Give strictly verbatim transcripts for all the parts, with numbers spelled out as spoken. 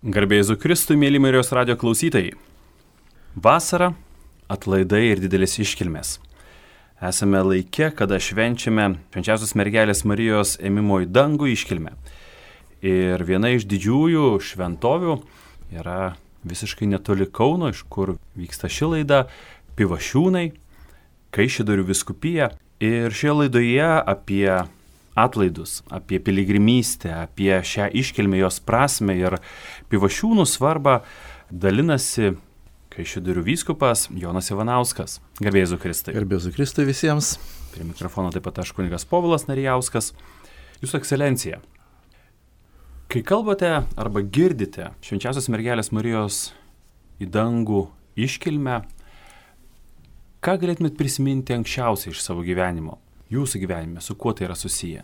Garbė Jėzui Kristui, mėly Marijos radijo klausytojai. Vasara, atlaidai ir didelis iškilmės. Esame laike, kada švenčiame švenčiausios mergelės Marijos ėmimo į dangų iškilmę. Ir viena iš didžiųjų šventovių yra visiškai netoli Kauno, iš kur vyksta ši laida, Pivašiūnai, Kaišiadorių vyskupija. Ir šioje laidoje apie atlaidus, apie piligrimystę, apie šią iškilmę, jos prasmę ir Pivašiūnų svarbą dalinasi Kaišiadorių vyskupas Jonas Ivanauskas. Garbė Jėzui Kristui. Garbė Jėzui Kristui visiems. Prie mikrofono taip pat aš kunigas Povilas Narijauskas. Jūsų ekscelencija, kai kalbate arba girdite švenčiausios mergelės Marijos į dangų iškilmę, ką galėtumėt prisiminti anksčiausiai iš savo gyvenimo, jūsų gyvenime, su kuo tai yra susiję?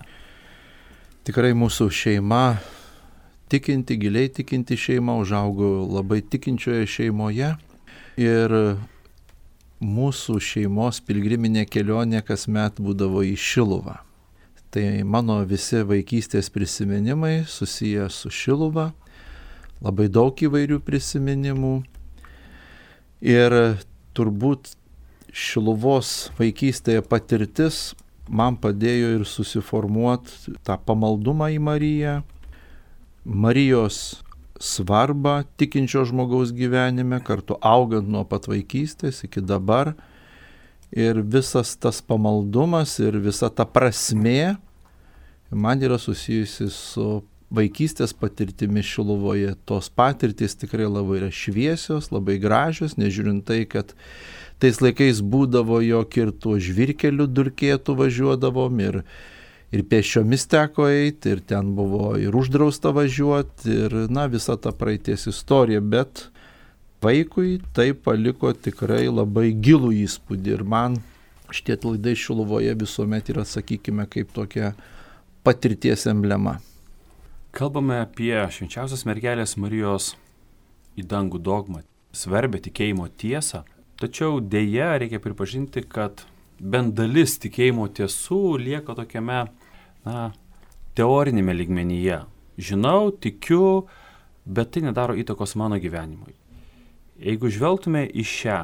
Tikrai mūsų šeima, tikinti, giliai tikinti šeima, užaugo labai tikinčioje šeimoje ir mūsų šeimos pilgriminė kelionė kasmet būdavo į Šiluvą. Tai mano visi vaikystės prisiminimai susiję su Šiluva, labai daug įvairių prisiminimų ir turbūt Šiluvos vaikystėje patirtis man padėjo ir susiformuoti tą pamaldumą į Mariją, Marijos svarbą tikinčio žmogaus gyvenime, kartu augant nuo pat vaikystės iki dabar. Ir visas tas pamaldumas ir visa ta prasmė man yra susijusi su vaikystės patirtimi Šiluvoje. Tos patirtys tikrai labai yra šviesios, labai gražios, nežiūrint tai, kad tais laikais būdavo, jog ir tuo žvyrkeliu durkėtų važiuodavom ir, ir pėsčiomis teko eiti, ir ten buvo ir uždrausta važiuoti, ir na, visa ta praeities istorija, bet vaikui tai paliko tikrai labai gilų įspūdį ir man šitie atlaidai Šiluvoje visuomet yra, sakykime, kaip tokia patirties emblema. Kalbame apie švenčiausios mergelės Marijos į dangų dogmą, svarbę tikėjimo tiesą. Tačiau dėja reikia pripažinti, kad bent dalis tikėjimo tiesų lieka tokiame, na, teorinėme lygmenyje. Žinau, tikiu, bet tai nedaro įtakos mano gyvenimui. Jeigu žvelgtume į šią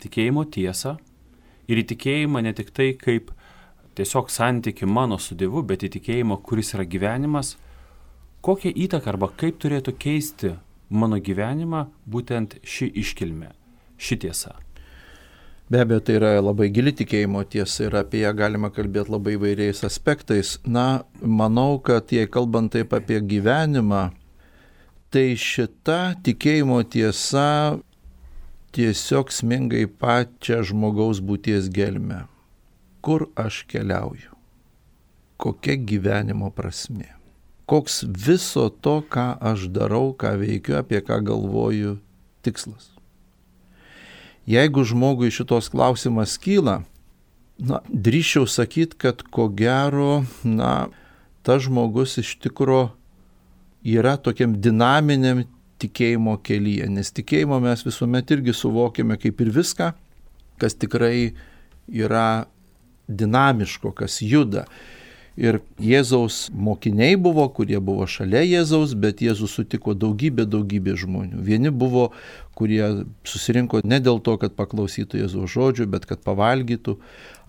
tikėjimo tiesą ir į tikėjimą ne tik tai kaip tiesiog santyki mano su Dievu, bet į tikėjimą, kuris yra gyvenimas, kokią įtaką arba kaip turėtų keisti mano gyvenimą būtent ši iškilmė. Ši tiesa. Be abejo, tai yra labai gili tikėjimo tiesa ir apie ją galima kalbėti labai įvairiais aspektais. Na, manau, kad jei kalbant taip apie gyvenimą, tai šita tikėjimo tiesa tiesiog sminga į pačią žmogaus būties gelmę. Kur aš keliauju? Kokia gyvenimo prasmė? Koks viso to, ką aš darau, ką veikiu, apie ką galvoju, tikslas? Jeigu žmogui šitos klausimas kyla, na, drįsčiau sakyti, kad ko gero, na, tas žmogus iš tikro yra tokiam dinaminiam tikėjimo kelyje, nes tikėjimo mes visuomet irgi suvokime kaip ir viską, kas tikrai yra dinamiško, kas juda. Ir Jėzaus mokiniai buvo, kurie buvo šalia Jėzaus, bet Jėzus sutiko daugybė, daugybė žmonių. Vieni buvo, kurie susirinko ne dėl to, kad paklausytų Jėzaus žodžių, bet kad pavalgytų.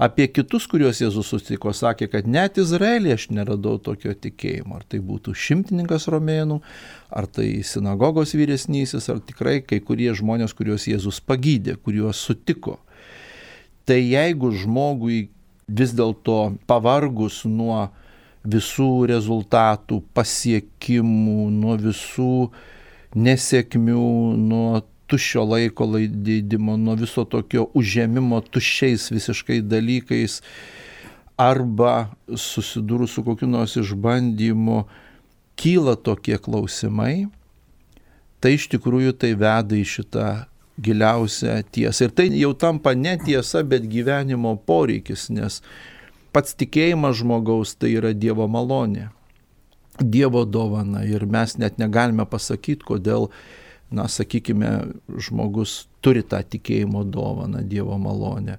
Apie kitus, kuriuos Jėzus sutiko, sakė, kad net Izraelyje aš neradau tokio tikėjimo. Ar tai būtų šimtininkas romėnų, ar tai sinagogos vyresnysis, ar tikrai kai kurie žmonės, kuriuos Jėzus pagydė, kuriuos sutiko. Tai jeigu žmogui vis dėlto pavargus nuo visų rezultatų, pasiekimų, nuo visų nesėkmių, nuo tuščio laiko leidimo, nuo viso tokio užėmimo tuščiais visiškai dalykais arba susidūrus su kokiu nors išbandymu kyla tokie klausimai, tai iš tikrųjų tai veda į šitą giliausią tiesą. Ir tai jau tampa ne tiesa, bet gyvenimo poreikis, nes pats tikėjimas žmogaus tai yra Dievo malonė, Dievo dovana. Ir mes net negalime pasakyti, kodėl, na, sakykime, žmogus turi tą tikėjimo dovaną, Dievo malonę.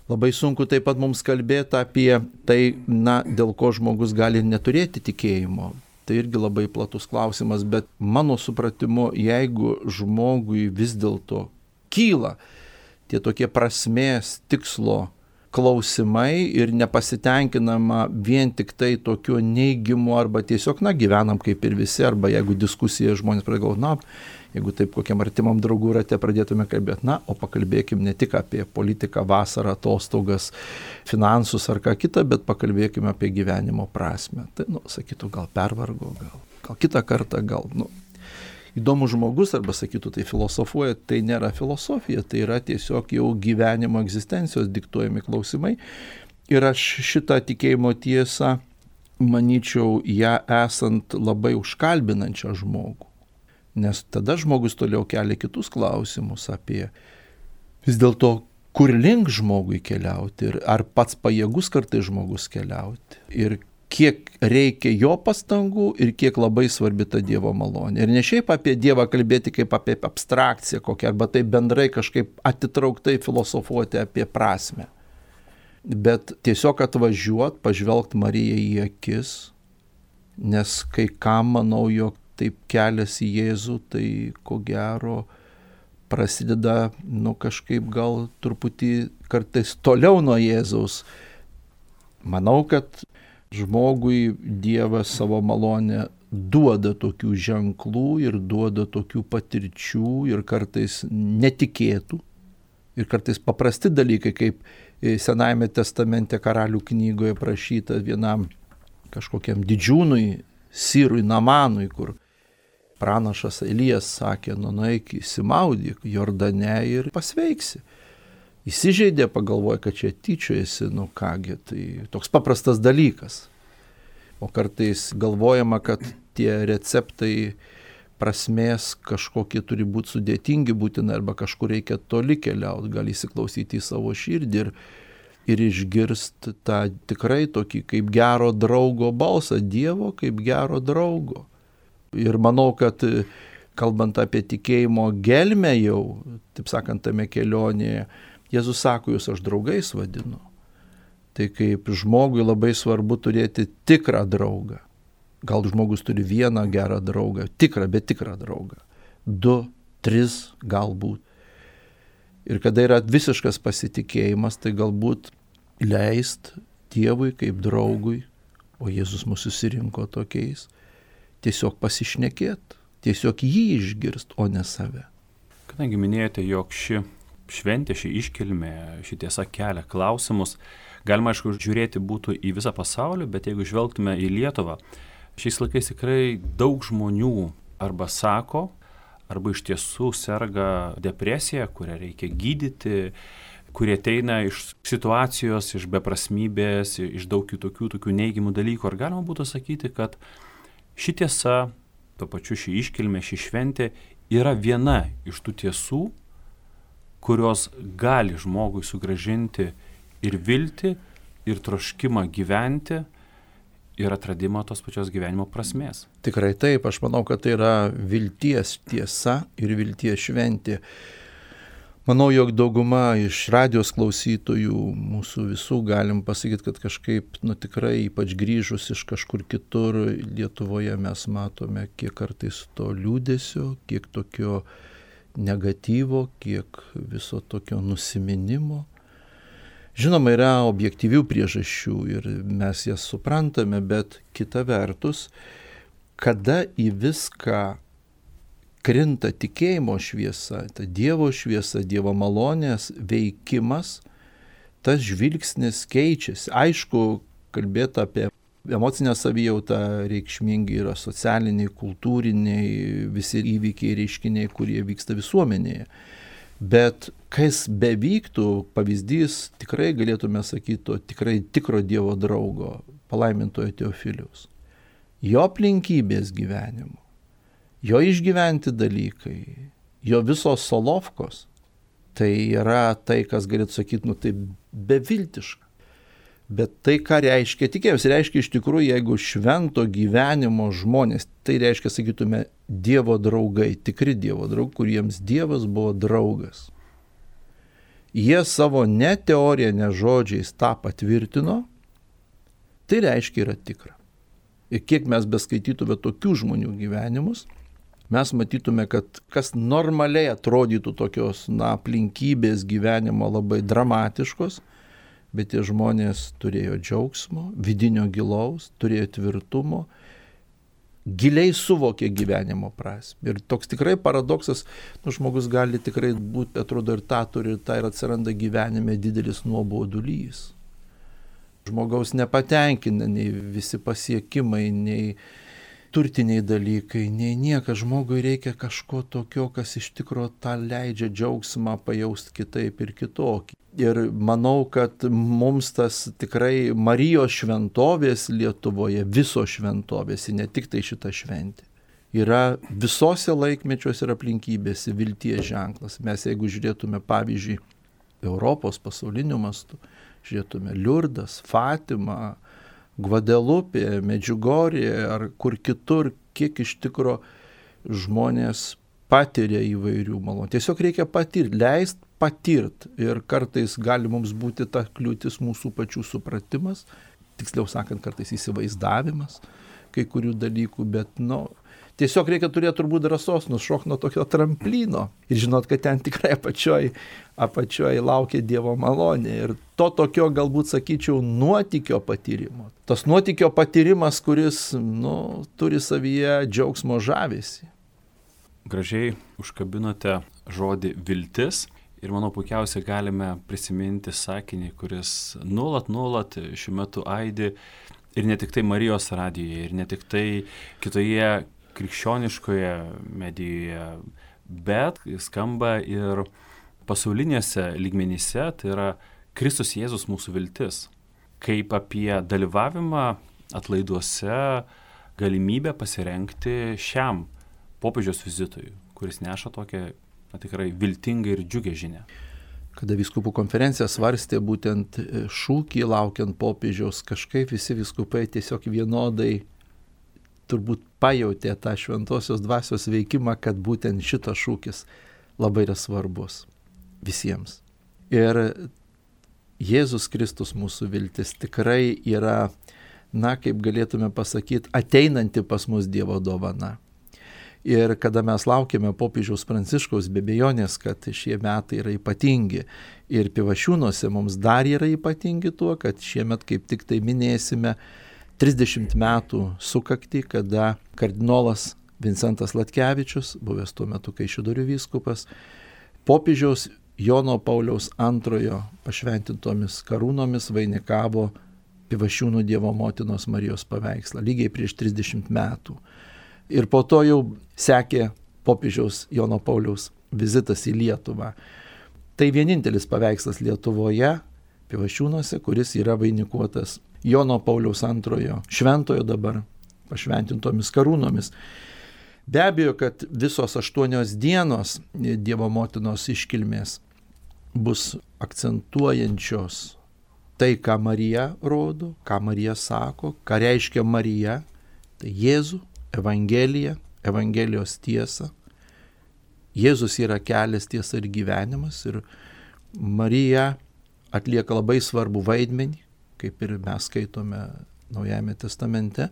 Labai sunku taip pat mums kalbėti apie tai, na, dėl ko žmogus gali neturėti tikėjimo. tai irgi labai platus klausimas, bet mano supratimu, jeigu žmogui vis dėlto kyla tie tokie prasmės, tikslo klausimai ir nepasitenkinama vien tik tai tokiu neigimu arba tiesiog, na, gyvenam kaip ir visi, arba jeigu diskusija žmonės pradėjo, na, jeigu taip kokiam artimam draugų rate pradėtume kalbėti, na, o pakalbėkim ne tik apie politiką, vasarą, atostogas, finansus ar ką kitą, bet pakalbėkim apie gyvenimo prasme. Tai, nu, sakytų, gal pervargo, gal, gal kitą kartą, gal, nu, įdomus žmogus, arba sakytų, tai filosofuoja, tai nėra filosofija, tai yra tiesiog jau gyvenimo egzistencijos diktuojami klausimai. Ir aš šitą tikėjimo tiesą, manyčiau, ją esant labai užkalbinančią žmogų. Nes tada žmogus toliau kelia kitus klausimus apie vis dėlto, kur link žmogui keliauti ir ar pats pajėgus kartais žmogus keliauti. Ir kiek reikia jo pastangų ir kiek labai svarbi ta Dievo malonė. Ir ne šiaip apie Dievą kalbėti kaip apie abstrakciją kokią, arba taip bendrai kažkaip atitrauktai filosofuoti apie prasmę. Bet tiesiog atvažiuot, pažvelgt Marijai į akis, nes kai kam manau, jog taip kelias į Jėzų, tai ko gero prasideda, nu kažkaip gal truputį kartais toliau nuo Jėzaus. Manau, kad žmogui Dievas savo malonę duoda tokių ženklų ir duoda tokių patirčių ir kartais netikėtų. Ir kartais paprasti dalykai, kaip Senajame testamente Karalių knygoje prašyta vienam kažkokiam didžiūnui, Sirui Namanui, kur pranašas Elijas sakė, nu nueik įsimaudyk Jordane ir pasveiksi. Įsižeidė, pagalvoja, kad čia tyčiojasi, nu kągi, tai toks paprastas dalykas. O kartais galvojama, kad tie receptai prasmės kažkokie turi būti sudėtingi būtinai, arba kažkur reikia toli keliauti, gali įsiklausyti į savo širdį ir, ir išgirsti tą tikrai tokį kaip gero draugo balsą, Dievo kaip gero draugo. Ir manau, kad kalbant apie tikėjimo gelmę jau, taip sakant, tame kelionėje, Jėzus sako, jūs aš draugais vadinu. Tai kaip žmogui labai svarbu turėti tikrą draugą. Gal žmogus turi vieną gerą draugą, tikrą, bet tikrą draugą. Du, tris galbūt. Ir kada yra visiškas pasitikėjimas, tai galbūt leist Dievui kaip draugui, o Jėzus mus susirinko tokiais, tiesiog pasišnekėt, tiesiog jį išgirst, o ne save. Kadangi minėjote, jog ši šventė, ši iškilmė, ši tiesa kelia klausimus, galima, aišku, žiūrėti būtų į visą pasaulį, bet jeigu žvelgtume į Lietuvą, šiais laikais tikrai daug žmonių arba sako, arba iš tiesų serga depresija, kurią reikia gydyti, kurie ateina iš situacijos, iš beprasmybės, iš daug kitokių tokių neigiamų dalykų. Ar galima būtų sakyti, kad ši tiesa, tuo pačiu ši iškilmė, ši šventė yra viena iš tų tiesų, kurios gali žmogui sugrąžinti ir viltį, ir troškimą gyventi, ir atradimą tos pačios gyvenimo prasmės. Tikrai taip, aš manau, kad tai yra vilties tiesa ir vilties šventė. Manau, jog dauguma iš radijos klausytojų, mūsų visų, galim pasakyti, kad kažkaip, nu tikrai, ypač grįžus iš kažkur kitur Lietuvoje, mes matome kiek kartais to liūdesio, kiek tokio negatyvo, kiek viso tokio nusiminimo. Žinoma, yra objektyvių priežasčių ir mes jas suprantame, bet kita vertus, kada į viską krinta tikėjimo šviesa, ta Dievo šviesa, Dievo malonės veikimas, tas žvilgsnis keičiasi. Aišku, kalbėti apie emocinę savijautą reikšmingi yra socialiniai, kultūriniai, visi įvykiai, reiškiniai, kurie vyksta visuomenėje. Bet kas bevyktų, pavyzdys tikrai galėtume sakyti to tikrai tikro Dievo draugo, palaimintojo Teofiliaus. Jo aplinkybės gyvenimo, jo išgyventi dalykai, jo visos solovkos, tai yra tai, kas galėtų sakyti, nu tai beviltiška. Bet tai, ką reiškia tikėjimas, reiškia iš tikrųjų, jeigu švento gyvenimo žmonės, tai reiškia, sakytume, Dievo draugai, tikri Dievo draugai, kuriems Dievas buvo draugas. Jie savo ne teoriją, ne žodžiais tą patvirtino, tai reiškia yra tikra. Ir kiek mes beskaitytume tokių žmonių gyvenimus, mes matytume, kad kas normaliai atrodytų tokios, na, aplinkybės gyvenimo labai dramatiškos, bet tie žmonės turėjo džiaugsmo, vidinio gilaus, turėjo tvirtumo, giliai suvokė gyvenimo prasmę. Ir toks tikrai paradoksas, nu, žmogus gali tikrai būti, atrodo, ir tą turi, ir tą, ir atsiranda gyvenime didelis nuobodulys. Žmogaus nepatenkina nei visi pasiekimai, nei turtiniai dalykai, nei niekas. Žmogui reikia kažko tokio, kas iš tikrųjų tą leidžia džiaugsmą pajausti kitaip ir kitokį. Ir manau, kad mums tas tikrai Marijos šventovės Lietuvoje, visos šventovės, ne tik tai šita šventė, yra visose laikmečiuose ir aplinkybėse vilties ženklas. Mes jeigu žiūrėtume, pavyzdžiui, Europos pasauliniu mastu, žiūrėtume Liurdas, Fatima, Gvadelupė, Medžiugorė ar kur kitur, kiek iš tikro žmonės patiria įvairių malonų. Tiesiog reikia patirti, leist patirti. Ir kartais gali mums būti ta kliūtis mūsų pačių supratimas, tiksliau sakant, kartais įsivaizdavimas kai kurių dalykų, bet, nu, tiesiog reikia turėti turbūt drąsos nušokti nuo tokio tramplino ir žinot, kad ten tikrai apačioj, apačioj laukia Dievo malonė. Ir to tokio, galbūt sakyčiau, nuotykio patyrimo. Tas nuotykio patyrimas, kuris, nu, turi savyje džiaugsmo žavesį. Gražiai užkabinote žodį viltis ir manau puikiausiai galime prisiminti sakinį, kuris nuolat, nuolat šiuo metu aidi ir ne tik tai Marijos radijoje, ir ne tik tai kitoje krikščioniškoje medijoje, bet skamba ir pasaulinėse lygmenyse, tai yra Kristus Jėzus mūsų viltis. Kaip apie dalyvavimą atlaiduose, galimybę pasirengti šiam popiežiaus vizitui, kuris neša tokią na, tikrai viltingą ir džiugę žinią. Kada vyskupų konferencija svarstė būtent šūkį laukiant popiežiaus, kažkaip visi vyskupai tiesiog vienodai turbūt pajautė tą šventosios dvasios veikimą, kad būtent šitas šūkis labai yra svarbus visiems. Ir Jėzus Kristus mūsų viltis tikrai yra, na, kaip galėtume pasakyti, ateinanti pas mus Dievo dovana. Ir kada mes laukiame popiežiaus Pranciškaus, be abejonės, kad šie metai yra ypatingi. Ir Pivašiūnuose mums dar yra ypatingi tuo, kad šiemet kaip tik tai minėsime trisdešimt metų sukaktį, kada kardinolas Vincentas Latkevičius, buvęs tuo metu Kaišiadorių vyskupas, popiežiaus Jono Pauliaus antrojo pašventintomis karūnomis vainikavo Pivašiūnų Dievo motinos Marijos paveikslą, lygiai prieš trisdešimt metų. Ir po to jau sekė popiežiaus Jono Pauliaus vizitas į Lietuvą. Tai vienintelis paveikslas Lietuvoje, Pivašiūnuose, kuris yra vainikuotas Jono Pauliaus antrojo šventojo dabar pašventintomis karūnomis. Be abejo, kad visos aštuonios dienos Dievo motinos iškilmės bus akcentuojančios tai, ką Marija rodo, ką Marija sako, ką reiškia Marija, tai Jėzų, Evangelija, Evangelijos tiesa. Jėzus yra kelias, tiesa ir gyvenimas ir Marija atlieka labai svarbų vaidmenį, kaip ir mes skaitome Naujajame testamente.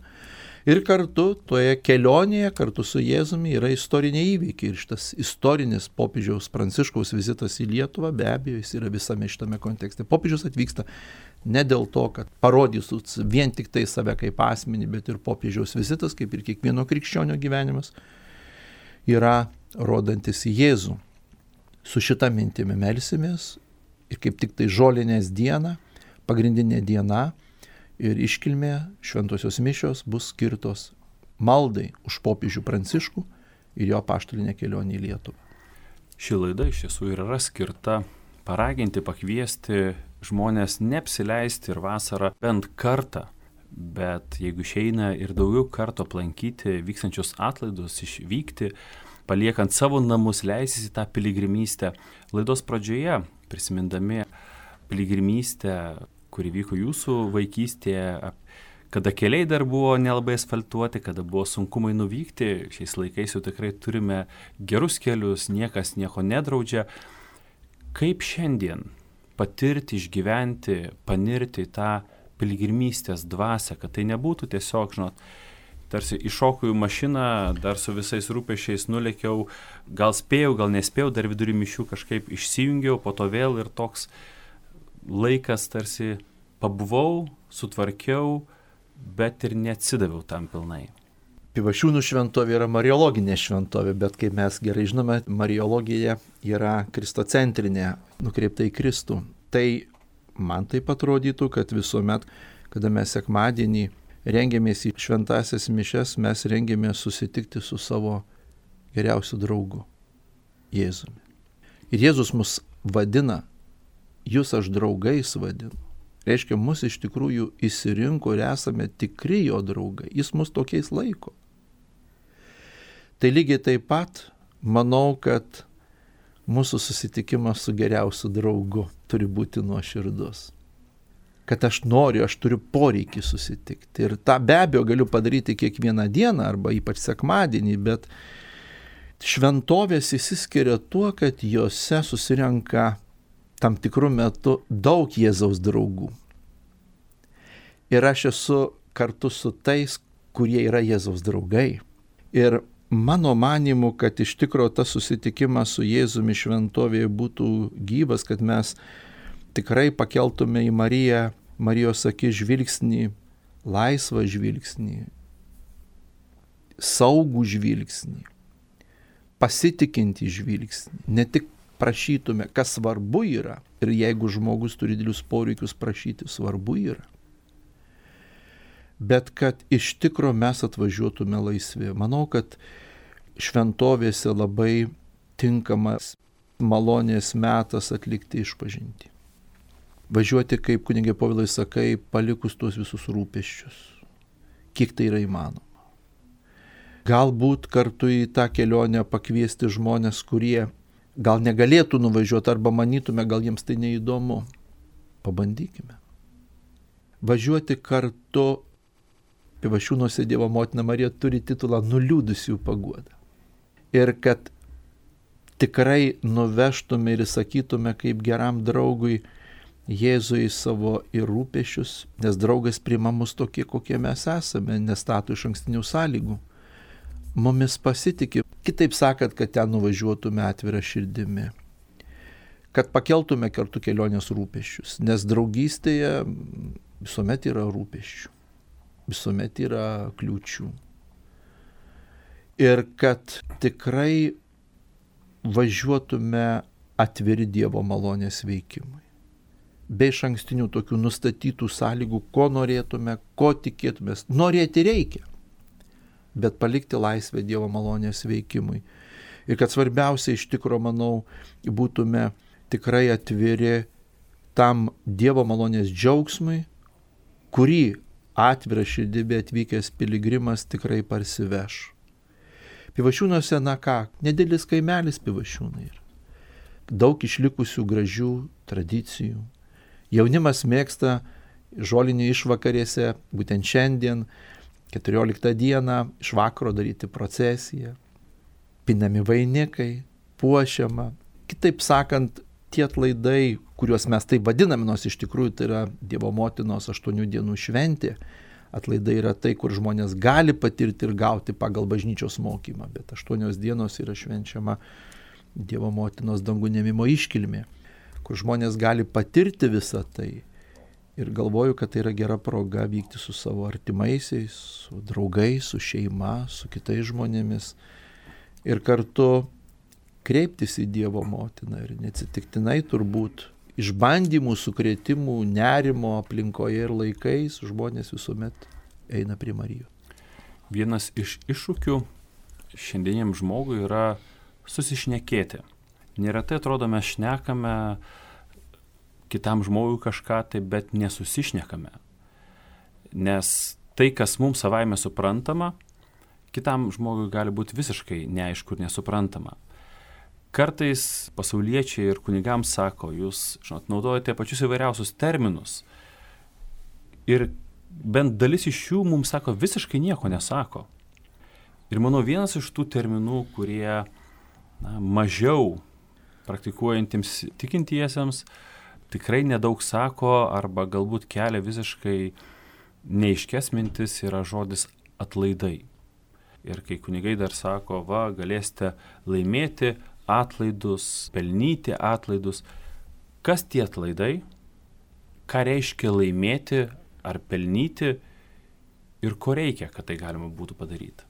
Ir kartu toje kelionėje, kartu su Jėzumi yra istoriniai įvykiai. Ir šitas istorinis popiežiaus Pranciškaus vizitas į Lietuvą, be abejo, jis yra visame šitame kontekste. Popiežius atvyksta ne dėl to, kad parodys vien tik tai save kaip asmenį, bet ir popiežiaus vizitas, kaip ir kiekvieno krikščionio gyvenimas, yra rodantis į Jėzų. Su šita mintimi melsimės ir kaip tik tai žolinės diena, pagrindinė diena ir iškilmė šventosios mišios bus skirtos maldai už popiežių Pranciškų ir jo apaštalinę kelionę į Lietuvą. Ši laida iš tiesų yra skirta paraginti, pakviesti žmonės neapsileisti ir vasarą bent kartą, bet jeigu išeina ir daugiau kartų aplankyti vykstančius atlaidus, išvykti, paliekant savo namus, leisis į tą piligrimystę. Laidos pradžioje, prisimindami piligrimystę, kuri vyko jūsų vaikystėje, kada keliai dar buvo nelabai asfaltuoti, kada buvo sunkumai nuvykti, šiais laikais jau tikrai turime gerus kelius, niekas nieko nedraudžia. Kaip šiandien patirti, išgyventi, panirti į tą piligrimystės dvasią, kad tai nebūtų tiesiog, žinot, tarsi iššokau į mašiną, dar su visais rūpesčiais nulėkiau, gal spėjau, gal nespėjau, dar vidury mišių kažkaip išsijungiau, po to vėl ir toks laikas tarsi pabuvau, sutvarkiau, bet ir neatsidaviau tam pilnai. Pivašiūnų šventovė yra mariologinė šventovė, bet kaip mes gerai žinome, mariologija yra kristocentrinė, nukreipta į Kristų. Tai man taip atrodytų, kad visuomet, kada mes sekmadienį rengiamės į šventąsias mišias, mes rengiamės susitikti su savo geriausiu draugu, Jėzumi. Ir Jėzus mus vadina, jūs aš draugais vadinu. Reiškia, mus iš tikrųjų išsirinko ir esame tikri jo draugai. Jis mus tokiais laiko. Tai lygiai taip pat manau, kad mūsų susitikimas su geriausiu draugu turi būti nuoširdus. Kad aš noriu, aš turiu poreikį susitikti. Ir tą be abejo galiu padaryti kiekvieną dieną arba ypač sekmadienį, bet šventovės išsiskiria tuo, kad jose susirenka tam tikrų metų daug Jėzaus draugų. Ir aš esu kartu su tais, kurie yra Jėzaus draugai. Ir mano manimu, kad iš tikrųjų tas susitikimas su Jėzumi šventovėje būtų gyvas, kad mes tikrai pakeltume į Mariją, Marijos akis žvilgsnį, laisvą žvilgsnį, saugų žvilgsnį, pasitikintį žvilgsnį, ne tik prašytume, kas svarbu yra, ir jeigu žmogus turi didelius poreikius prašyti, svarbu yra, bet kad iš tikro mes atvažiuotume laisvi. Manau, kad šventovėse labai tinkamas malonės metas atlikti išpažintį. Važiuoti, kaip kunigė Povilai sakai, palikus tuos visus rūpesčius, kiek tai yra įmanoma. Galbūt kartu į tą kelionę pakviesti žmonės, kurie gal negalėtų nuvažiuoti arba manytume, gal jiems tai neįdomu. Pabandykime. Važiuoti kartu, Pivašiūnuose Dievo motina Marija turi titulą nuliūdusių paguoda. Ir kad tikrai nuvežtume ir sakytume kaip geram draugui Jėzui savo ir rūpešius, nes draugas priima mus tokie, kokie mes esame, nestato iš ankstinių sąlygų. Mumis pasitikė, kitaip sakant, kad ten nuvažiuotume atvirą širdimi, kad pakeltume kartu kelionės rūpesčius, nes draugystėje visuomet yra rūpesčių, visuomet yra kliūčių. Ir kad tikrai važiuotume atviri Dievo malonės veikimui, be iš ankstinių tokių nustatytų sąlygų, ko norėtume, ko tikėtumės. Norėti reikia, bet palikti laisvę Dievo malonės veikimui. Ir kad svarbiausia iš tikro, manau, būtume tikrai atviri tam Dievo malonės džiaugsmui, kurį atvirą širdimi atvykęs piligrimas tikrai parsiveš. Pivašiūnuose, na ką, nedidelis kaimelis Pivašiūnai yra. Daug išlikusių gražių tradicijų. Jaunimas mėgsta žolinį išvakarėse, būtent šiandien, keturioliktą dieną, iš vakaro daryti procesiją, pinami vainikai, puošiama. Kitaip sakant, tie atlaidai, kuriuos mes taip vadiname, nors iš tikrųjų tai yra Dievo motinos aštuonių dienų šventė, atlaidai yra tai, kur žmonės gali patirti ir gauti pagal bažnyčios mokymą, bet aštuonios dienos yra švenčiama Dievo motinos dangų nėmimo iškilmė, kur žmonės gali patirti visą tai. Ir galvoju, kad tai yra gera proga vykti su savo artimaisiais, su draugais, su šeima, su kitais žmonėmis ir kartu kreiptis į Dievo motiną. Ir neatsitiktinai turbūt išbandymų, sukrėtimų, nerimo aplinkoje ir laikais žmonės visuomet eina prie Marijos. Vienas iš iššūkių šiandieniam žmogui yra susišnekėti. Neretai atrodo, mes šnekame kitam žmogui kažką, tai bet nesusišnekame. Nes tai, kas mums savaime suprantama, kitam žmogui gali būti visiškai neaišku ir nesuprantama. Kartais pasauliečiai ir kunigams sako, jūs, žinot, naudojate pačius įvairiausius terminus. Ir bent dalis iš jų mums sako, visiškai nieko nesako. Ir manau, vienas iš tų terminų, kurie na, mažiau praktikuojantiems tikintiesiems tikrai nedaug sako arba galbūt kelia visiškai neaiškias mintis, yra žodis atlaidai. Ir kai kunigai dar sako, va, galėsite laimėti atlaidus, pelnyti atlaidus. Kas tie atlaidai? Ką reiškia laimėti ar pelnyti ir ko reikia, kad tai galima būtų padaryti?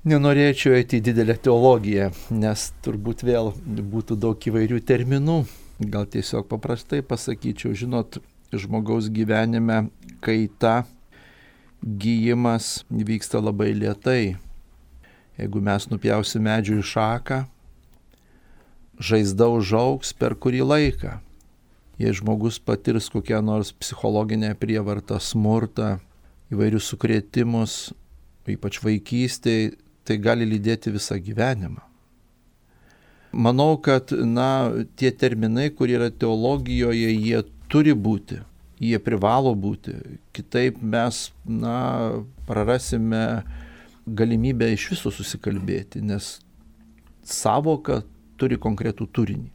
Nenorėčiau eiti į didelę teologiją, nes turbūt vėl būtų daug įvairių terminų. Gal tiesiog paprastai pasakyčiau, žinot, žmogaus gyvenime kaita, gijimas vyksta labai lėtai. Jeigu mes nupjausim medžių į šaką, žaizda užaugs per kurį laiką. Jei žmogus patirs kokią nors psichologinę prievartą, smurtą, įvairius sukrėtimus, ypač vaikystėje, tai gali lydėti visą gyvenimą. Manau, kad na, tie terminai, kurie yra teologijoje, jie turi būti, jie privalo būti. Kitaip mes na, prarasime galimybę iš viso susikalbėti, nes savoka turi konkretų turinį.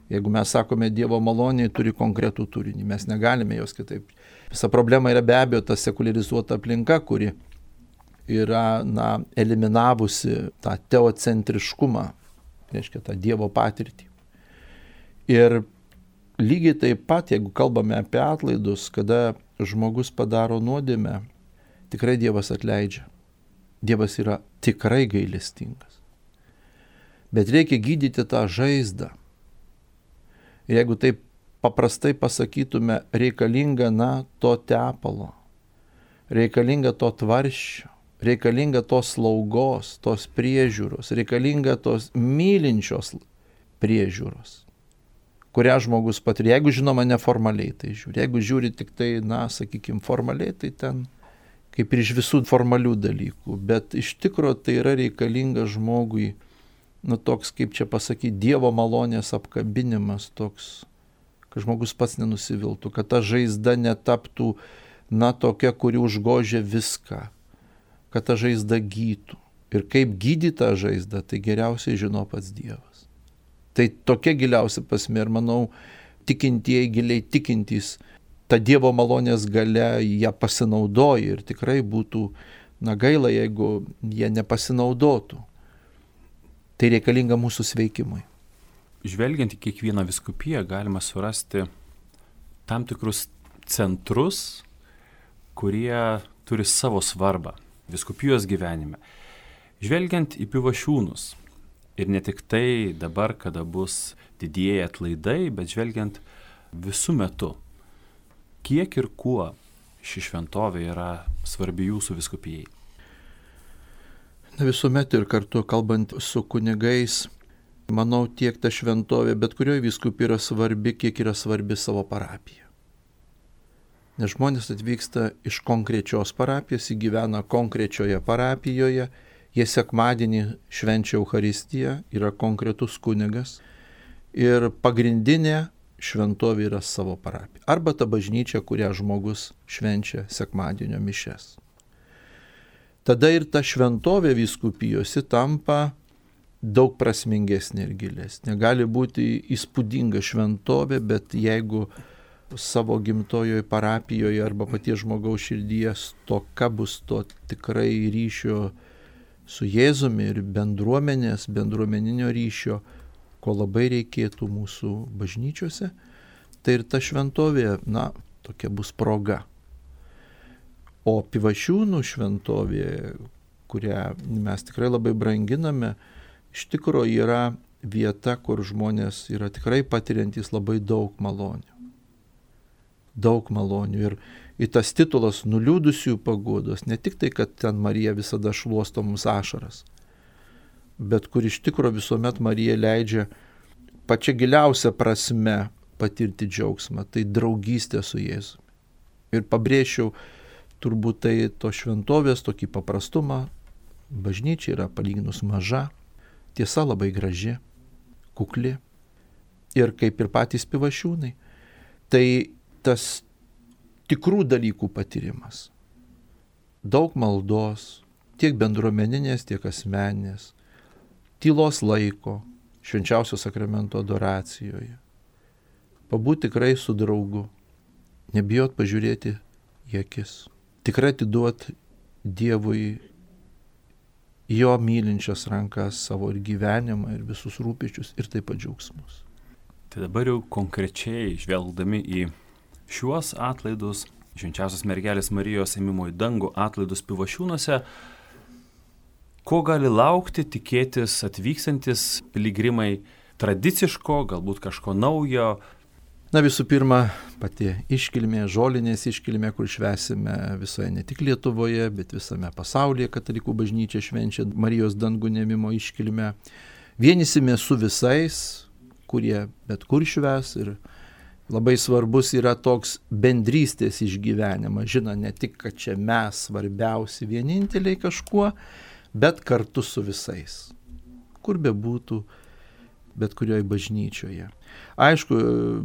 Jeigu mes sakome Dievo malonė, turi konkretų turinį, mes negalime jos kitaip. Visa problema yra be abejo ta sekularizuota aplinka, kuri yra na, eliminavusi tą teocentriškumą, reiškia tą Dievo patirtį. Ir lygiai taip pat, jeigu kalbame apie atlaidus, kada žmogus padaro nuodėmę, tikrai Dievas atleidžia. Dievas yra tikrai gailestingas. Bet reikia gydyti tą žaizdą. Ir jeigu taip paprastai pasakytume, reikalinga na, to tepalo, reikalinga to tvarščio, reikalinga tos slaugos, tos priežiūros, reikalinga tos mylinčios priežiūros, kurią žmogus patiria. Jeigu žinoma neformaliai tai žiūri, jeigu žiūri tik tai, na, sakykime, formaliai, tai ten kaip ir iš visų formalių dalykų, bet iš tikro tai yra reikalinga žmogui, nu toks, kaip čia pasakyti, Dievo malonės apkabinimas toks, kad žmogus pats nenusiviltų, kad ta žaizda netaptų, na, tokia, kuri užgožia viską, kad ta žaizda gytų. Ir kaip gydyti tą žaizdą, tai geriausiai žino pats Dievas. Tai tokia giliausia prasmė ir manau, tikintieji, giliai tikintys, ta Dievo malonės galia ją pasinaudoja ir tikrai būtų, na, gaila, jeigu jie nepasinaudotų. Tai reikalinga mūsų sveikimui. Žvelgiant į kiekvieną vyskupiją galima surasti tam tikrus centrus, kurie turi savo svarbą vyskupijos gyvenime. Žvelgiant į Pivašiūnus, ir ne tik tai dabar, kada bus didieji atlaidai, bet žvelgiant visų metu, kiek ir kuo ši šventovė yra svarbi jūsų vyskupijai? Visuomet ir kartu kalbant su kunigais, manau, tiek ta šventovė, bet kurioje vyskupijoje yra svarbi, kiek yra svarbi savo parapija. Nes žmonės atvyksta iš konkrečios parapijos, įgyvena konkrečioje parapijoje, jie sekmadienį švenčia Eucharistiją, yra konkretus kunigas ir pagrindinė šventovė yra savo parapija. Arba ta bažnyčia, kurią žmogus švenčia sekmadienio mišes. Tada ir ta šventovė vyskupijose tampa daug prasmingesnė ir gilesnė. Gali būti įspūdinga šventovė, bet jeigu savo gimtojoje parapijoje arba paties žmogaus širdyje stoka bus to tikrai ryšio su Jėzumi ir bendruomenės, bendruomeninio ryšio, ko labai reikėtų mūsų bažnyčiose, tai ir ta šventovė, na, tokia bus proga. O Pivašiūnų šventovė, kurią mes tikrai labai branginame, iš tikro yra vieta, kur žmonės yra tikrai patiriantys labai daug malonių. Daug malonių. Ir, ir tas titulas nuliūdusių paguodos, ne tik tai, kad ten Marija visada šluosto mums ašaras, bet kur iš tikro visuomet Marija leidžia pačia giliausia prasme patirti džiaugsmą, tai draugystė su Jėzumi. Ir pabrėžčiau turbūt tai to šventovės tokį paprastumą. Bažnyčia yra palyginus maža, tiesa labai graži, kukli ir kaip ir patys Pivašiūnai. Tai tas tikrų dalykų patyrimas. Daug maldos, tiek bendruomeninės, tiek asmeninės, tylos laiko, švenčiausio sakramento adoracijoje. Pabūti tikrai su draugu, nebijot pažiūrėti į akis. Tikrai atiduot Dievui jo mylinčias rankas, savo ir gyvenimą, ir visus rūpesčius, ir taip pat džiaugsmus. Tai dabar jau konkrečiai žvelgdami į šiuos atlaidus, Švenčiausios mergelės Marijos ėmimo į dangų atlaidus Pivašiūnuose, ko gali laukti, tikėtis atvykstantis piligrimai tradiciško, galbūt kažko naujo? Na visų pirma, pati iškilmė, žolinės iškilmė, kur švęsime visoje ne tik Lietuvoje, bet visame pasaulyje katalikų bažnyčia švenčia Marijos dangų ėmimo iškilmę. Vienysime su visais, kurie bet kur švęs, ir labai svarbus yra toks bendrystės išgyvenimas. Žino, ne tik, kad čia mes svarbiausi vieninteliai kažkuo, bet kartu su visais. Kur be būtų, bet kurioje bažnyčioje. Aišku,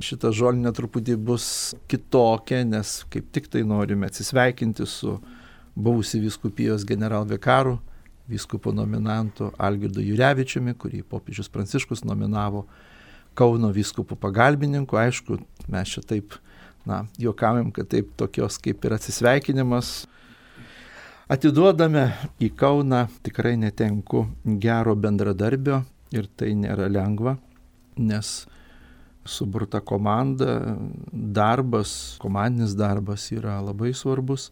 šita žolinė truputį bus kitokia, nes kaip tik tai norime atsisveikinti su buvusi vyskupijos generalvikaru, vyskupo nominantu Algirdu Jurevičiumi, kurį popiežius Pranciškus nominavo Kauno vyskupų pagalbininku. Aišku, mes čia taip, na, juokaujam, kad taip tokios kaip ir atsisveikinimas atiduodame į Kauną. Tikrai netenku gero bendradarbio ir tai nėra lengva, nes suburta komanda, darbas, komandinis darbas yra labai svarbus.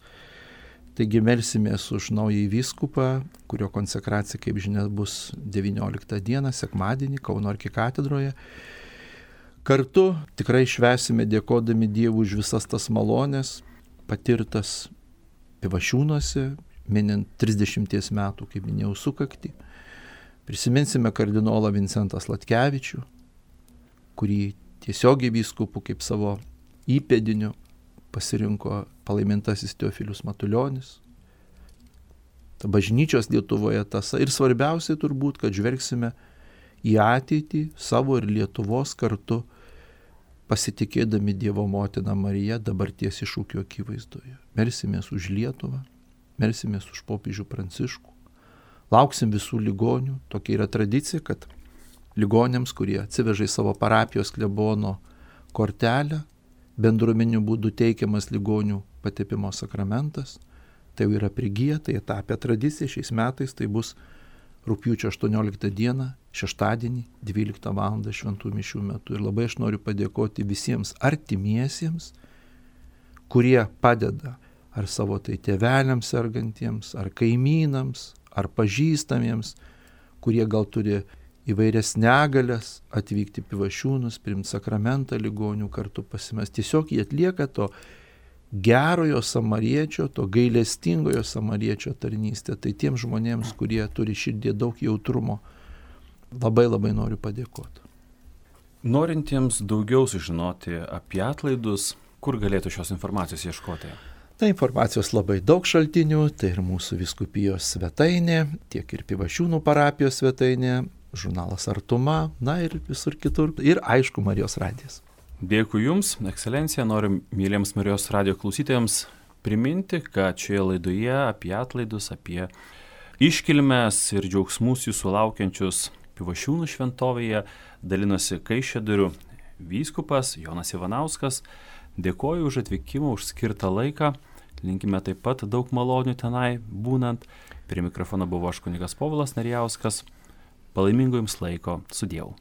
Taigi melsimės už naująjį vyskupą, kurio konsekracija, kaip žinia, bus devynioliktą dieną, sekmadienį, Kauno arkikatedroje. Kartu tikrai švęsime dėkodami Dievui už visas tas malonės, patirtas Pivašiūnuose, minint trisdešimties metų, kaip minėjau, sukaktį. Prisiminsime kardinolą Vincentą Sladkevičių, kurį tiesiogiai vyskupų kaip savo įpėdiniu pasirinko palaimintasis Teofilius Matulionis. Ta bažnyčios Lietuvoje tąsa. Ir svarbiausiai turbūt, kad žvelgsime į ateitį savo ir Lietuvos kartu, pasitikėdami Dievo motiną Mariją dabarties iššūkio akivaizdoje. Melsimės už Lietuvą, melsimės už popiežių Pranciškų. Lauksim visų ligonių. Tokia yra tradicija, kad ligoniams, kurie atsiveža į savo parapijos klebono kortelę, bendruomenių būdų teikiamas ligonių patepimo sakramentas. Tai jau yra prigiję, tai tapę tradicija. Šiais metais tai bus rugpjūčio aštuonioliktą dieną, šeštadienį, dvyliktą valandą šventų mišių metu. Ir labai aš noriu padėkoti visiems artimiesiems, kurie padeda ar savo tai tėveliams sergantiems, ar kaimynams, ar pažįstamiems, kurie gal turi įvairias negalias, atvykti Pivašiūnus, priimti sakramentą ligonių, kartu pasimest. Tiesiog jie atlieka to gerojo samariečio, to gailestingojo samariečio tarnystę. Tai tiems žmonėms, kurie turi širdį daug jautrumo, labai labai noriu padėkoti. Norintiems daugiau sužinoti apie atlaidus, kur galėtų šios informacijos ieškoti? Tai informacijos labai daug šaltinių, tai ir mūsų vyskupijos svetainė, tiek ir Pivašiūnų parapijos svetainė, žurnalas Artuma, na ir visur kitur. Ir aišku, Marijos radijas. Dėkui Jums, ekscelencija. Noriu myliems Marijos radijo klausytojams priminti, kad šioje laidoje apie atlaidus, apie iškilmes ir džiaugsmus jūsų laukiančius Pivašiūnų šventovėje dalinosi Kaišiadorių vyskupas Jonas Ivanauskas. Dėkoju už atvykimą, už skirtą laiką. Linkime taip pat daug malonių tenai būnant. Prie mikrofono buvo aš kunigas Povilas Narijauskas. Palaimingo Jums laiko. Su Dievu.